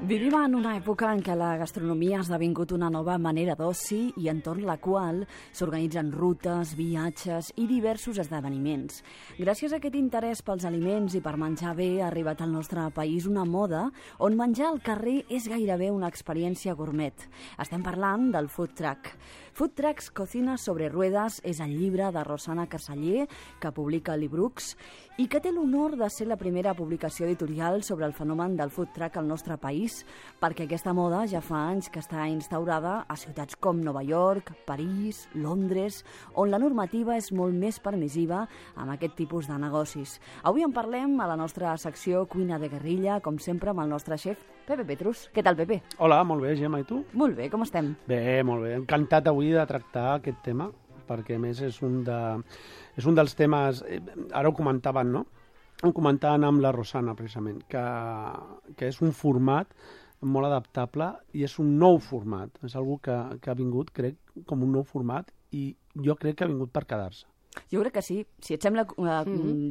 Vivim en una època en què la gastronomia ha esdevingut una nova manera d'oci i entorn la qual s'organitzen rutes, viatges i diversos esdeveniments. Gràcies a aquest interès pels aliments i per menjar bé ha arribat al nostre país una moda on menjar al carrer és gairebé una experiència gourmet. Estem parlant del food truck. Food Trucks Cocina sobre Ruedas és el llibre de Rosana Carceller, que publica Librux, i que té l'honor de ser la primera publicació editorial sobre el fenomen del food truck al nostre país, perquè aquesta moda ja fa anys que està instaurada a ciutats com Nova York, París, Londres, on la normativa és molt més permissiva amb aquest tipus de negocis. Avui en parlem a la nostra secció Cuina de Guerrilla, com sempre amb el nostre xef Pepe Petrus. Què tal, Pepe? Hola, molt bé, Gemma, i tu? Molt bé, com estem? Bé, molt bé. Encantat avui de tractar aquest tema, perquè a més és un dels temes, ara ho comentaven, no? Ho comentaven amb la Rosana, precisament, que és un format molt adaptable i és un nou format. És algo que ha vingut, crec, com un nou format i jo crec que ha vingut per quedar-se. Jo crec que sí. Si et sembla,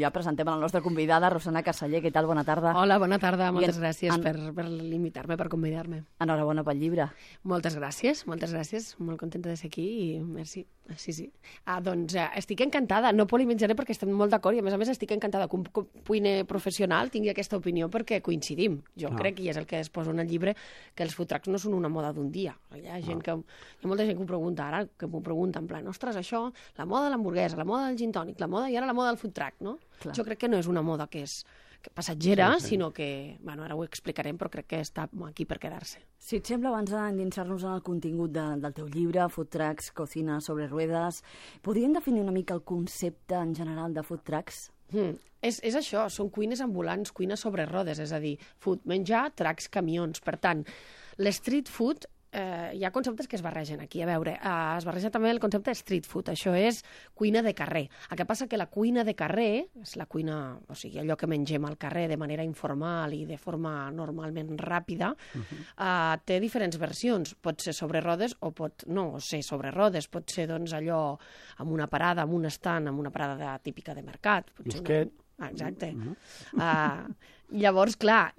ja presentem a la nostra convidada, Rosana Carceller. Què tal? Bona tarda. Hola, bona tarda. Moltes gràcies per invitar-me, per convidar-me. Enhorabona pel llibre. Moltes gràcies. Molt contenta de ser aquí i merci. Sí. Doncs estic encantada. No polimitjaré perquè estem molt d'acord i a més estic encantada que un cuiner professional tingui aquesta opinió perquè coincidim. Jo crec, i és el que es posa en el llibre, que els food trucks no són una moda d'un dia. Hi ha molta gent que ho pregunta ara, que m'ho pregunta en plan, ostres, això, la moda de l'hamburguesa, la moda del gin tònic, i ara la moda del food truck, no? Clar. Jo crec que no és una moda que és passatgera, sinó que, ara ho explicarem, però crec que està aquí per quedar-se. Si et sembla, abans d'endinsar-nos en el contingut del teu llibre, Food Trucks, Cocina sobre Ruedas, podríem definir una mica el concepte en general de food trucks? És això, són cuines ambulants, cuines sobre rodes, és a dir, food, menjar, trucks, camions. Per tant, l'street food hi ha conceptes que es barregen aquí. A veure, es barreja també el concepte de street food. Això és cuina de carrer. El que passa que la cuina de carrer, és la cuina, o sigui, allò que mengem al carrer de manera informal i de forma normalment ràpida, té diferents versions. Pot ser sobre rodes o pot no ser sobre rodes. Pot ser, doncs, allò amb una parada, amb un estant, amb una parada típica de mercat. Busquet. Exacte. Llavors, clar,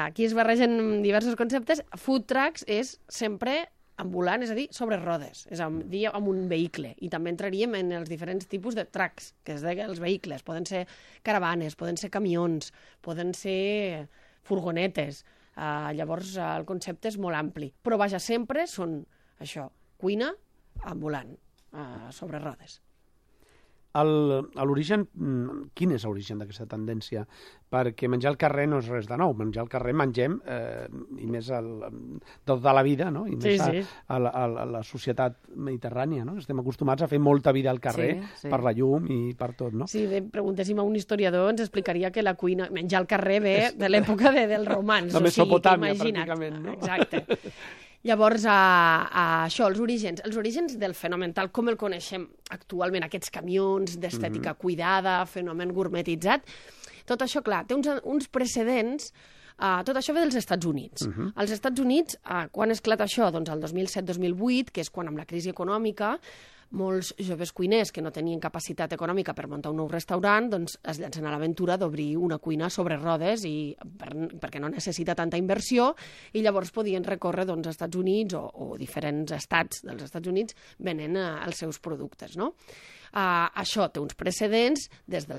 aquí es barregen diversos conceptes. Food trucks és sempre ambulant, és a dir, sobre rodes, és a dir, amb un vehicle. I també entraríem en els diferents tipus de trucks, que és els vehicles. Poden ser caravanes, poden ser camions, poden ser furgonetes. Llavors, el concepte és molt ampli. Però, vaja, sempre són això, cuina ambulant, sobre rodes. L'origen, quin és l'origen d'aquesta tendència? Perquè menjar al carrer no és res de nou. Menjar al carrer mengem, i més tota la vida, no? I més a la societat mediterrània, no? Estem acostumats a fer molta vida al carrer per la llum i per tot, no? Si preguntéssim a un historiador ens explicaria que la cuina, menjar al carrer ve de l'època dels romans. De Mesopotàmia, pràcticament, no? Exacte. Llavors, això, els orígens del fenomen, tal com el coneixem actualment, aquests camions d'estètica cuidada, fenomen gourmetitzat, tot això, clar, té uns precedents. Tot això ve dels Estats Units. Als Estats Units, quan esclata això? Doncs el 2007-2008, que és quan amb la crisi econòmica molts joves cuiners que no tenien capacitat econòmica per muntar un nou restaurant doncs es llancen a l'aventura d'obrir una cuina sobre rodes perquè no necessita tanta inversió i llavors podien recórrer als Estats Units o diferents estats dels Estats Units venent els seus productes, no? Això té uns precedents des del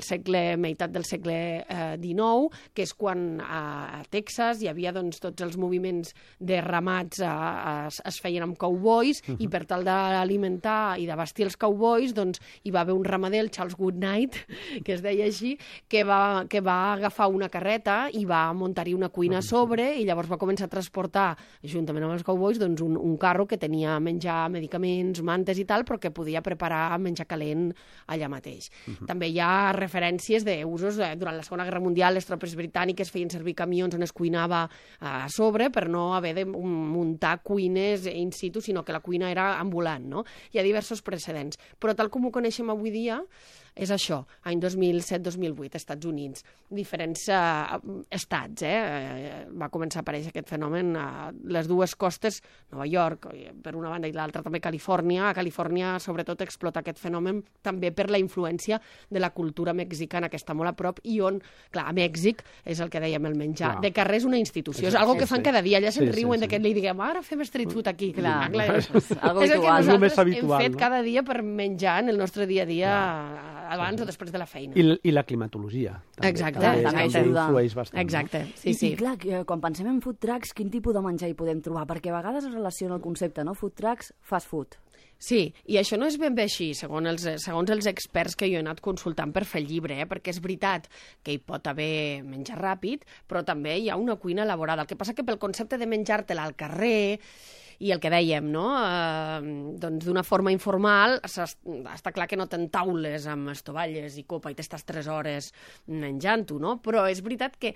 meitat del segle XIX, que és quan a Texas hi havia tots els moviments de ramats es feien amb cowboys i per tal d'alimentar i d'abastir els cowboys hi va haver un ramader, el Charles Goodnight, que es deia així, que va agafar una carreta i va muntar-hi una cuina a sobre i llavors va començar a transportar, juntament amb els cowboys, un carro que tenia menjar, medicaments, mantes i tal, però que podia preparar menjar calent allà mateix. També hi ha referències d'usos durant la Segona Guerra Mundial, les tropes britàniques feien servir camions on es cuinava a sobre per no haver de muntar cuines in situ, sinó que la cuina era ambulant, no? Hi ha diversos precedents. Però tal com ho coneixem avui dia, és això, any 2007-2008, Estats Units, diferents estats, va començar a aparèixer aquest fenomen a les dues costes, Nova York, per una banda, i l'altra també Califòrnia. A Califòrnia, sobretot, explota aquest fenomen també per la influència de la cultura mexicana, que està molt a prop, i on, clar, a Mèxic és el que dèiem, el menjar. De carrer és una institució, és algo que fan cada dia, allà se'n riuen de que li diguem, ara fem street food aquí. Clar, és el que nosaltres hem fet cada dia per menjar en el nostre dia a dia, abans o després de la feina. I la climatologia. Exacte. També influeix bastant. Exacte, sí. I clar, quan pensem en food trucks, quin tipus de menjar hi podem trobar? Perquè a vegades es relaciona el concepte, no? Food trucks, fast food. Sí, i això no és ben bé així, segons els experts que jo he anat consultant per fer el llibre, perquè és veritat que hi pot haver menjar ràpid, però també hi ha una cuina elaborada. El que passa que pel concepte de menjar-te-la al carrer i el que dèiem, no? Doncs d'una forma informal, està clar que no t'entaules amb estovalles i copa i t'estàs 3 hores menjant-ho, no? Però és veritat que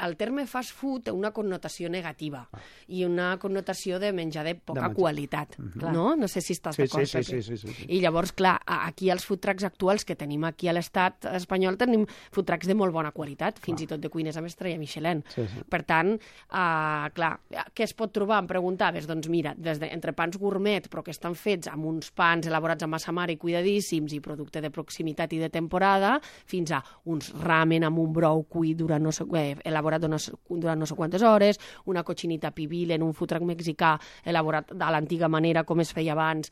el terme fast food té una connotació negativa i una connotació de menjar de poca qualitat, no? No sé si estàs d'acord, Pepe. Sí. I llavors, clar, aquí els food trucks actuals que tenim aquí a l'estat espanyol tenim food trucks de molt bona qualitat, fins i tot de cuines amb estrella Michelin. Per tant, clar, què es pot trobar? Em preguntaves, doncs mira, des d'entrepans gourmet, però que estan fets amb uns pans elaborats amb massa mare i cuidadíssims i producte de proximitat i de temporada, fins a uns ramen amb un brou cuit elaborat durant no sé quantes hores, una cochinita pibil en un food truck mexicà elaborat de l'antiga manera com es feia abans,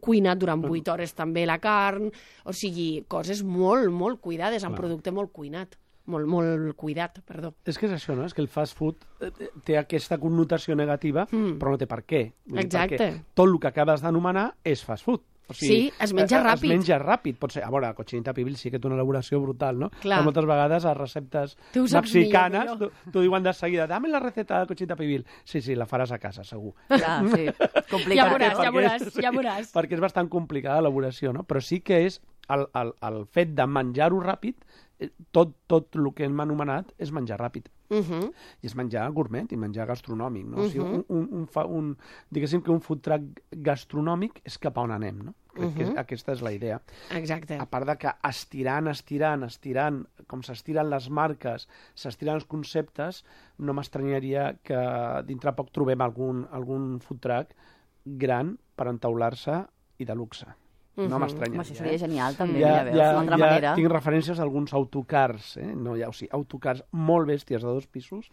cuinat durant 8 hores també la carn, o sigui, coses molt, molt cuidades, amb producte molt cuinat. Molt cuidat, perdó. És que és això, no? És que el fast food té aquesta connotació negativa, però no té per què. Exacte. Perquè tot el que acabes d'anomenar és fast food. O sigui, sí, es menja ràpid. Es menja ràpid. Pot ser, a veure, la cochinita pibil sí que té una elaboració brutal, no? Clar. Però moltes vegades a receptes mexicanes t'ho diuen de seguida, dame la receta de cochinita pibil. Sí, la faràs a casa, segur. Clar, sí. Complicat. Ja veuràs. Perquè és bastant complicada l'elaboració, no? Però sí que és el fet de menjar-ho ràpid, tot el que hem anomenat és menjar ràpid. I és menjar gourmet i menjar gastronòmic, no? O sigui, diguéssim que un food truck gastronòmic és cap a on anem, no? Crec que aquesta és la idea. Exacte. A part de que estirant, com s'estiren les marques, s'estiren els conceptes, no m'estranyaria que dintre poc trobem algun food truck gran per entaular-se i de luxe. No m'estranyaria. Això seria genial, també, d'una altra manera. Tinc referències a alguns autocars, autocars molt bèsties de 2 pisos,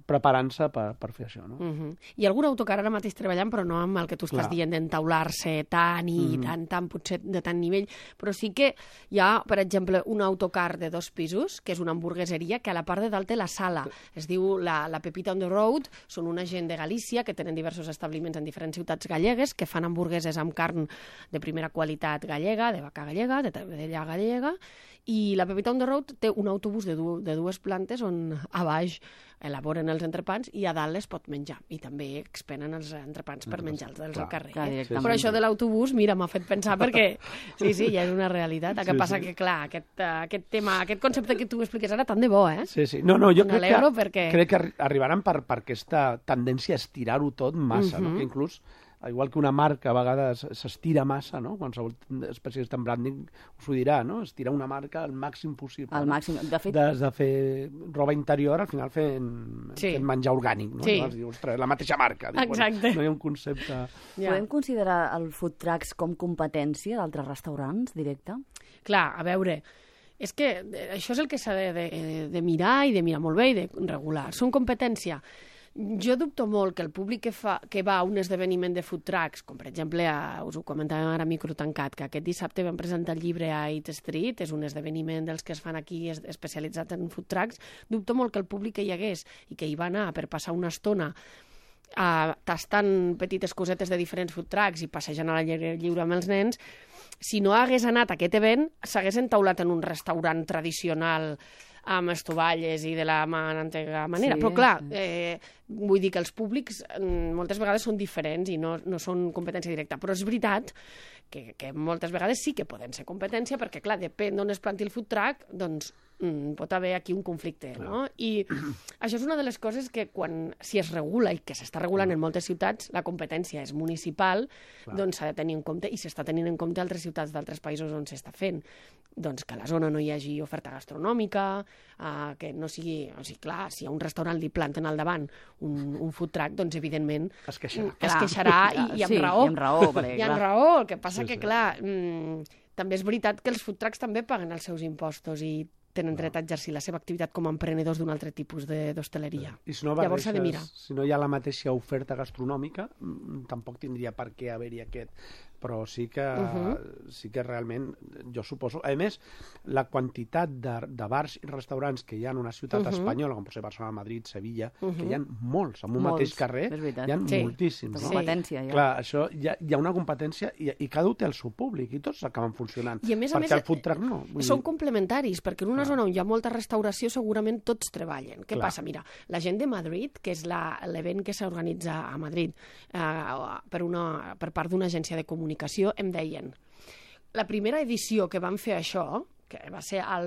preparant-se per fer això, no? Hi ha algun autocar ara mateix treballant, però no amb el que tu estàs dient d'entaular-se tant i tant potser de tant nivell, però sí que hi ha, per exemple, un autocar de 2 pisos, que és una hamburgueseria, que a la part de dalt té la sala. Es diu la Pepita on the Road, són una gent de Galícia que tenen diversos establiments en diferents ciutats gallegues, que fan hamburgueses amb carn de primera qualitat gallega, de vaca gallega, de vedella gallega, i la Pepita on the Road té un autobús de 2 plantes on a baix elaboren els entrepans i a dalt es pot menjar. I també expenen els entrepans per menjar-los al carrer. Però això de l'autobús, mira, m'ha fet pensar perquè sí, ja és una realitat. El que passa que, clar, aquest tema, aquest concepte que tu expliques ara, tant de bo, eh? Sí. No, jo crec que arribaran per aquesta tendència a estirar-ho tot massa, no? Que inclús igual que una marca a vegades s'estira massa, no? Qualsevol especialista en branding us ho dirà, no? Estirar una marca al màxim possible. Al màxim. De fet... Des de fer roba interior, al final fent menjar orgànic, no? Sí. Ostres, la mateixa marca. Exacte. No hi ha un concepte... Podem considerar el food trucks com competència d'altres restaurants, directe? Clar, a veure... És que això és el que s'ha de mirar i de mirar molt bé i de regular. Són competència. Jo dubto molt que el públic que va a un esdeveniment de food trucks, com per exemple, us ho comentàvem ara a micro tancat, que aquest dissabte vam presentar el llibre a Eat Street, és un esdeveniment dels que es fan aquí especialitzats en food trucks, dubto molt que el públic que hi hagués i que hi va anar per passar una estona tastant petites cosetes de diferents food trucks i passejant a l'aire lliure amb els nens, si no hagués anat a aquest event, s'hagués entaulat en un restaurant tradicional amb estovalles i de la antiga manera. Però clar, vull dir que els públics moltes vegades són diferents i no són competència directa. Però és veritat que moltes vegades sí que poden ser competència perquè, clar, depèn d'on es planti el food truck, doncs pot haver aquí un conflicte, no? I això és una de les coses que si es regula, i que s'està regulant en moltes ciutats, la competència és municipal, doncs s'ha de tenir en compte, i s'està tenint en compte altres ciutats d'altres països on s'està fent. Doncs que a la zona no hi hagi oferta gastronòmica, que no sigui... O sigui, clar, si a un restaurant li planten al davant un food truck, doncs evidentment es queixarà. Es queixarà i amb raó. I amb raó, perquè, I amb raó, el que passa que, clar, també és veritat que els food trucks també paguen els seus impostos i tenen dret a exercir la seva activitat com a emprenedors d'un altre tipus d'hostaleria. I si no Llavors s'ha de mirar. Si no hi ha la mateixa oferta gastronòmica, tampoc tindria per què haver-hi aquest. Però sí que realment, jo suposo... A més, la quantitat de bars i restaurants que hi ha en una ciutat espanyola, com pot ser Barcelona, Madrid, Sevilla, que hi ha molts, en un mateix carrer, hi ha moltíssims. No? Competència, ja. Clar, això, hi ha una competència i cada un té el seu públic i tots acaben funcionant. I a més, perquè el food truck no. Són complementaris, perquè en una zona on hi ha molta restauració segurament tots treballen. Què passa? Mira, la gent de Madrid, que és l'event que s'organitza a Madrid per part d'una agència de comunicació, em deien, la primera edició que van fer això, que va ser a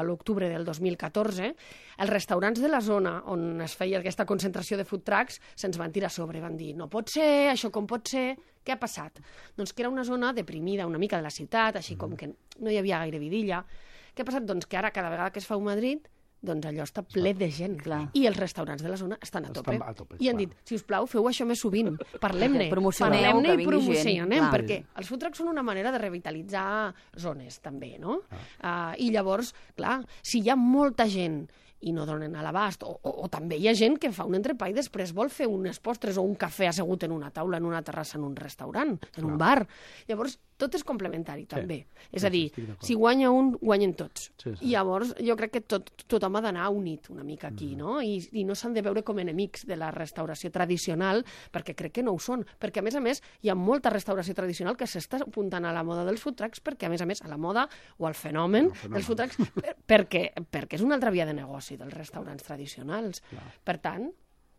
l'octubre del 2014, els restaurants de la zona on es feia aquesta concentració de food trucks se'ns van tirar a sobre, van dir, no pot ser, això com pot ser? Què ha passat? Doncs que era una zona deprimida una mica de la ciutat, així com que no hi havia gaire vidilla. Què ha passat? Doncs que ara, cada vegada que es fa un Madrid, doncs allò està ple de gent. Clar. I els restaurants de la zona estan a tope. I han dit, si us plau, feu això més sovint. Parlem-ne. Promocionem-ne i promocionem, perquè els food trucks són una manera de revitalitzar zones, també, no? I llavors, clar, si hi ha molta gent i no donen a l'abast, o també hi ha gent que fa un entrepà i després vol fer unes postres o un cafè assegut en una taula, en una terrassa, en un restaurant, en un bar. Llavors, tot és complementari, també. És a dir, si guanya un, guanyen tots. I llavors, jo crec que tothom ha d'anar unit una mica aquí, no? I no s'han de veure com enemics de la restauració tradicional, perquè crec que no ho són. Perquè, a més, hi ha molta restauració tradicional que s'està apuntant a la moda dels food trucks, perquè, a més, a la moda o al fenomen dels food trucks, perquè és una altra via de negoci dels restaurants tradicionals. Per tant,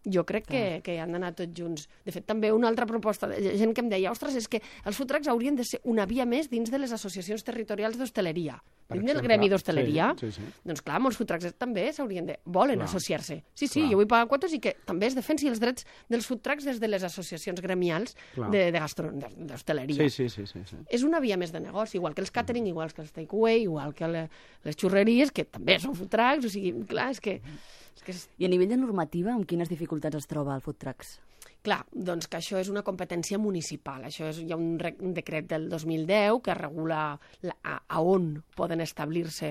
jo crec que han d'anar tots junts. De fet, també una altra proposta de gent que em deia, ostres, és que els food trucks haurien de ser una via més dins de les associacions territorials d'hostaleria. Dins del gremi d'hostaleria, doncs clar, molts food trucks també volen associar-se. Sí, jo vull pagar quotes i que també es defensi els drets dels food trucks des de les associacions gremials d'hostaleria. Sí. És una via més de negoci, igual que els catering, igual que els takeaway, igual que les xurreries, que també són food trucks, o sigui, clar, és que... I a nivell de normativa, amb quines dificultats es troba el food trucks? Clar, doncs que això és una competència municipal. Hi ha un decret del 2010 que regula a on poden establir-se.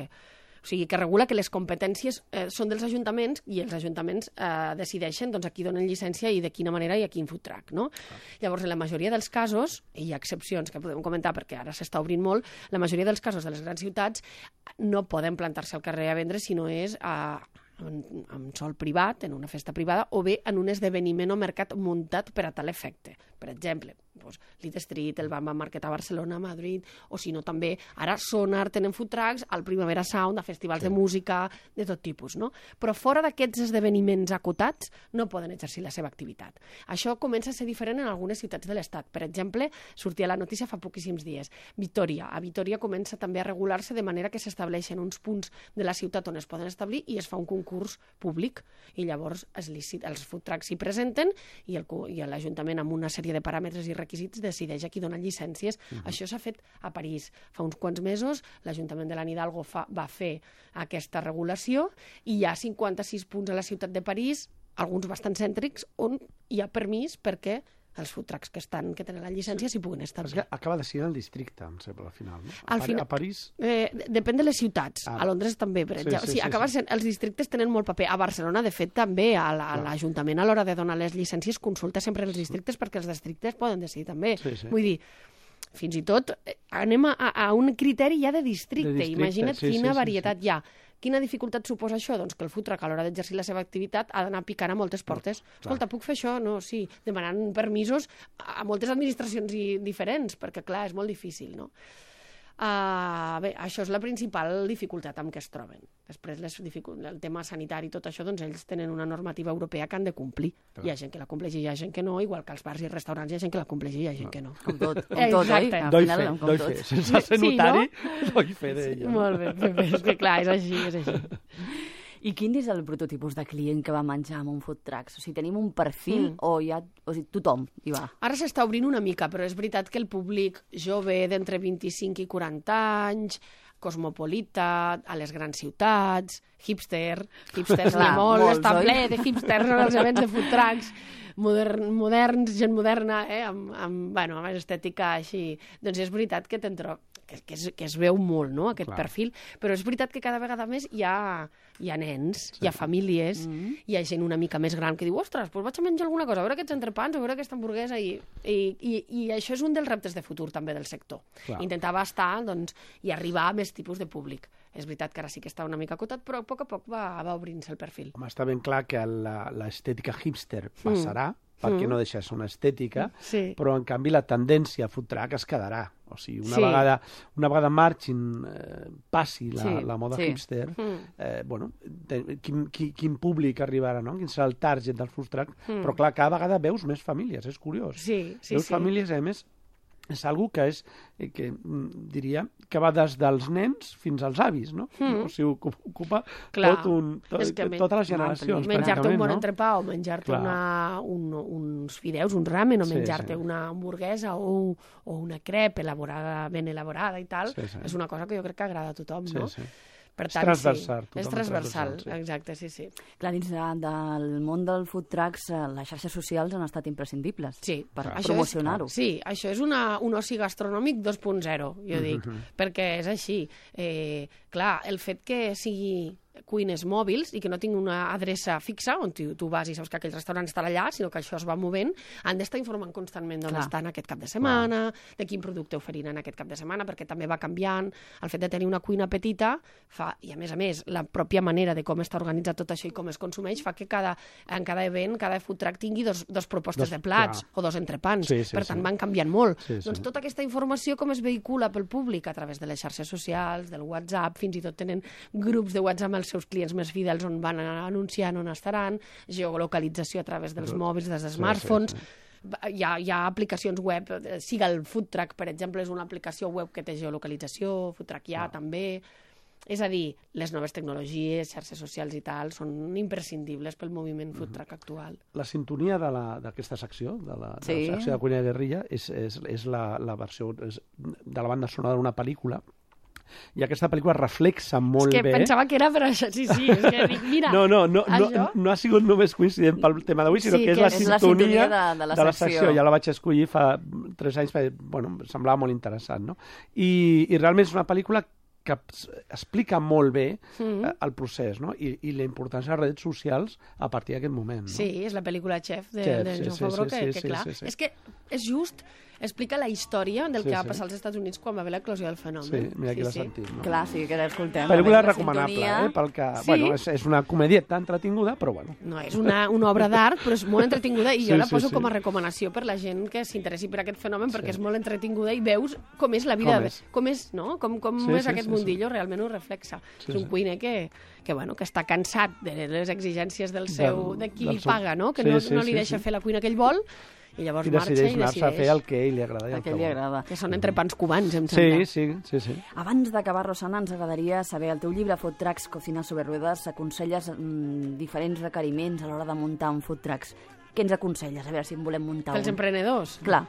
O sigui, que regula que les competències són dels ajuntaments i els ajuntaments decideixen doncs, a qui donen llicència i de quina manera i a quin food truck, no? Llavors, en la majoria dels casos, i hi ha excepcions que podem comentar perquè ara s'està obrint molt, la majoria dels casos de les grans ciutats no poden plantar-se al carrer a vendre si no és en sol privat, en una festa privada, o bé en un esdeveniment o mercat muntat per a tal efecte. Per exemple, l'Eat Street, el Bamba Market a Barcelona, a Madrid, o si no també, ara Sonar tenen food trucks, al Primavera Sound, a festivals de música, de tot tipus, no? Però fora d'aquests esdeveniments acotats no poden exercir la seva activitat. Això comença a ser diferent en algunes ciutats de l'Estat. Per exemple, sortia la notícia fa poquíssims dies. A Vitoria comença també a regular-se de manera que s'estableixen uns punts de la ciutat on es poden establir i es fa un concurs públic. I llavors els food trucks s'hi presenten i l'Ajuntament, amb una sèrie de paràmetres i requisits, decideix a qui donen llicències. Això s'ha fet a París. Fa uns quants mesos l'Ajuntament de l'Anne Hidalgo va fer aquesta regulació i hi ha 56 punts a la ciutat de París, alguns bastant cèntrics, on hi ha permís perquè els food trucks que tenen la llicència s'hi puguin establir. Acaba de ser el districte, em sembla, al final, no? A París? Depèn de les ciutats. A Londres també, per exemple. Els districtes tenen molt paper. A Barcelona, de fet, també l'Ajuntament a l'hora de donar les llicències consulta sempre els districtes perquè els districtes poden decidir també. Vull dir, fins i tot anem a un criteri ja de districte. Imagina't quina varietat hi ha. Quina dificultat suposa això? Doncs que el food truck a l'hora d'exercir la seva activitat ha d'anar picant a moltes portes. Escolta, puc fer això? No, sí. Demanant permisos a moltes administracions diferents, perquè, clar, és molt difícil, no? Bé, això és la principal dificultat amb què es troben. Després, el tema sanitari i tot això, doncs ells tenen una normativa europea que han de complir. Hi ha gent que la compleix i hi ha gent que no, igual que als bars i restaurants hi ha gent que la compleix i hi ha gent que no. Com tot, oi? Doy fe. Sense ser notari, doy fe d'ello. Molt bé, és que clar, és així. I quin és el prototipus de client que va menjar amb un food truck? O sigui, tenim un perfil o tothom hi va? Ara s'està obrint una mica, però és veritat que el públic jove d'entre 25 i 40 anys, cosmopolita, a les grans ciutats, hipsters n'hi ha molt, està ple de hipsters en els events de food trucks, moderns, gent moderna, amb estètica així. Doncs és veritat que que es veu molt, no?, aquest perfil, però és veritat que cada vegada més hi ha nens, hi ha famílies, hi ha gent una mica més gran que diu, ostres, doncs vaig a menjar alguna cosa, a veure aquests entrepans, a veure aquesta hamburguesa, i això és un dels reptes de futur també del sector. Intentar abastar i arribar a més tipus de públic. És veritat que ara sí que està una mica acotat, però a poc va obrint-se el perfil. Home, està ben clar que l'estètica hipster passarà, perquè no deixa de ser una estètica, però en canvi la tendència a food truck es quedarà. O sigui, una vegada marxin, passi la moda hipster, quin públic arribarà, no? Quin serà el target del food truck, però clar, cada vegada veus més famílies, és curiós. Veus famílies, a més, és algo que diria que va des dels nens fins als avis, no? O sigui, ocupa totes les generacions. Menjar-te un bon entrepà o menjar-te uns fideus, un ramen, o menjar-te una hamburguesa o una crep ben elaborada i tal, és una cosa que jo crec que agrada a tothom, no? Per tant, és transversal, exacte, sí. Clar, dins del món del food trucks, les xarxes socials han estat imprescindibles per promocionar-ho. Sí, això és un oci gastronòmic 2.0, jo dic, perquè és així. Clar, el fet que sigui cuines mòbils i que no tinc una adreça fixa on tu vas i saps que aquell restaurant està allà, sinó que això es va movent, han d'estar informant constantment d'on estan aquest cap de setmana, de quin producte oferiran aquest cap de setmana, perquè també va canviant. El fet de tenir una cuina petita i a més, la pròpia manera de com està organitzat tot això i com es consumeix fa que en cada event, cada food truck tingui dos propostes de plats o dos entrepans. Per tant, van canviant molt. Doncs tota aquesta informació com es vehicula pel públic a través de les xarxes socials, del WhatsApp, fins i tot tenen grups de WhatsApp amb els seus clients més fidels on van anunciant on estaran, geolocalització a través dels mòbils, dels smartphones. Hi ha aplicacions web, siga el Food Truck, per exemple, és una aplicació web que té geolocalització, Food Truck també. És a dir, les noves tecnologies, xarxes socials i tal, són imprescindibles pel moviment food truck actual. La sintonia d'aquesta secció, de la secció de Cuina de Guerrilla, és la versió de la banda sonora d'una pel·lícula, i aquesta pel·lícula reflexa molt bé. És que pensava que era per això, sí, és que dic, mira, no ha sigut només coincident pel tema d'avui, sinó que és la sintonia de la secció. Ja la vaig escollir fa 3 anys, perquè em semblava molt interessant, no? I realment és una pel·lícula que explica molt bé el procés, no? I la importància de les redes socials a partir d'aquest moment. No? Sí, és la pel·lícula Chef de Jon Favreau, que clar, és que és just, explica la història del que va passar als Estats Units quan va haver l'eclosió del fenomen. Sí, mira aquí l'ha sentit. No? Clar, sí, que l'escoltem. Pel·lícula recomanable, pel que... Bueno, és una comedieta entretinguda, però bueno. No, és una obra d'art, però és molt entretinguda i jo la poso com a recomanació per la gent que s'interessi per aquest fenomen, perquè és molt entretinguda i veus com és la vida, com és, no? Com és aquest mundillo, realment ho reflexa. És un cuiner que està cansat de les exigències de qui li paga, no? Que no li deixa fer la cuina que ell vol, i llavors marxa i decideix a fer el que ell li agrada. El que li agrada. Que són entrepans cubans, em sembla. Sí. Abans d'acabar, Rosana, ens agradaria saber, el teu llibre Food Trucks, Cocina sobre ruedas, aconselles diferents requeriments a l'hora de muntar un food trucks. Què ens aconselles? A veure si en volem muntar un. Els emprenedors? Clar.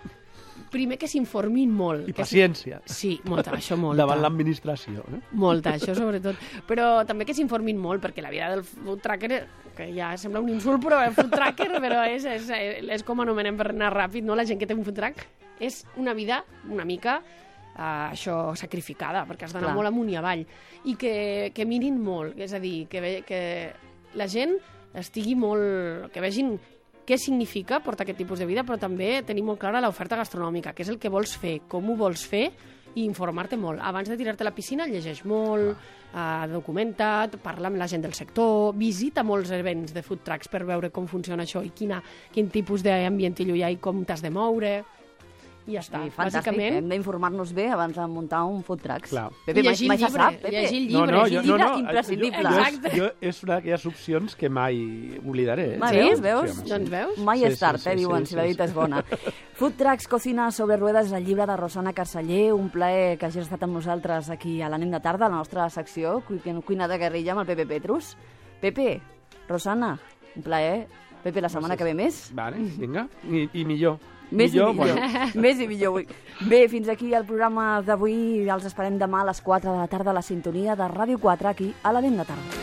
Primer que s'informin molt. I paciència. Sí, molta, això molta. Davant l'administració. Molta, això sobretot. Però també que s'informin molt, perquè la vida del food trucker, que ja sembla un insult, però el food trucker, però és com anomenem per anar ràpid, no? La gent que té un food truck és una vida una mica això sacrificada, perquè has d'anar molt amunt i avall. I que mirin molt, és a dir, que la gent estigui molt... que vegin què significa portar aquest tipus de vida, però també tenir molt clara l'oferta gastronòmica, què és el que vols fer, com ho vols fer, i informar-te molt. Abans de tirar-te a la piscina, llegeix molt, documenta't, parla amb la gent del sector, visita molts events de food trucks per veure com funciona això i quin tipus d'ambient hi ha i com t'has de moure. I ja està. Sí, fantàstic, Bàsicament... hem d'informar-nos bé abans de muntar un food trucks. Clar. Pepe, Llegir el mai se llibre, sap, Pepe. llegir el llibre. No, llegir el llibre imprescindible. És una d'aquelles opcions que mai oblidaré. Veus? Sí, Doncs veus? Mai és tard, diuen, si la dita és bona. Food Trucks, Cocina sobre ruedas, és el llibre de Rosana Carceller. Un plaer que hagis estat amb nosaltres aquí a la nit de tarda, a la nostra secció, Cuina de Guerrilla, amb el Pepe Petrus. Pepe, Rosana, un plaer. Pepe, la setmana que ve més. Vale, vinga. I millor. Més i millor. Bueno. Més i millor. Bé, fins aquí el programa d'avui. Els esperem demà a les 4 de la tarda a la sintonia de Ràdio 4, aquí a la nit de tarda.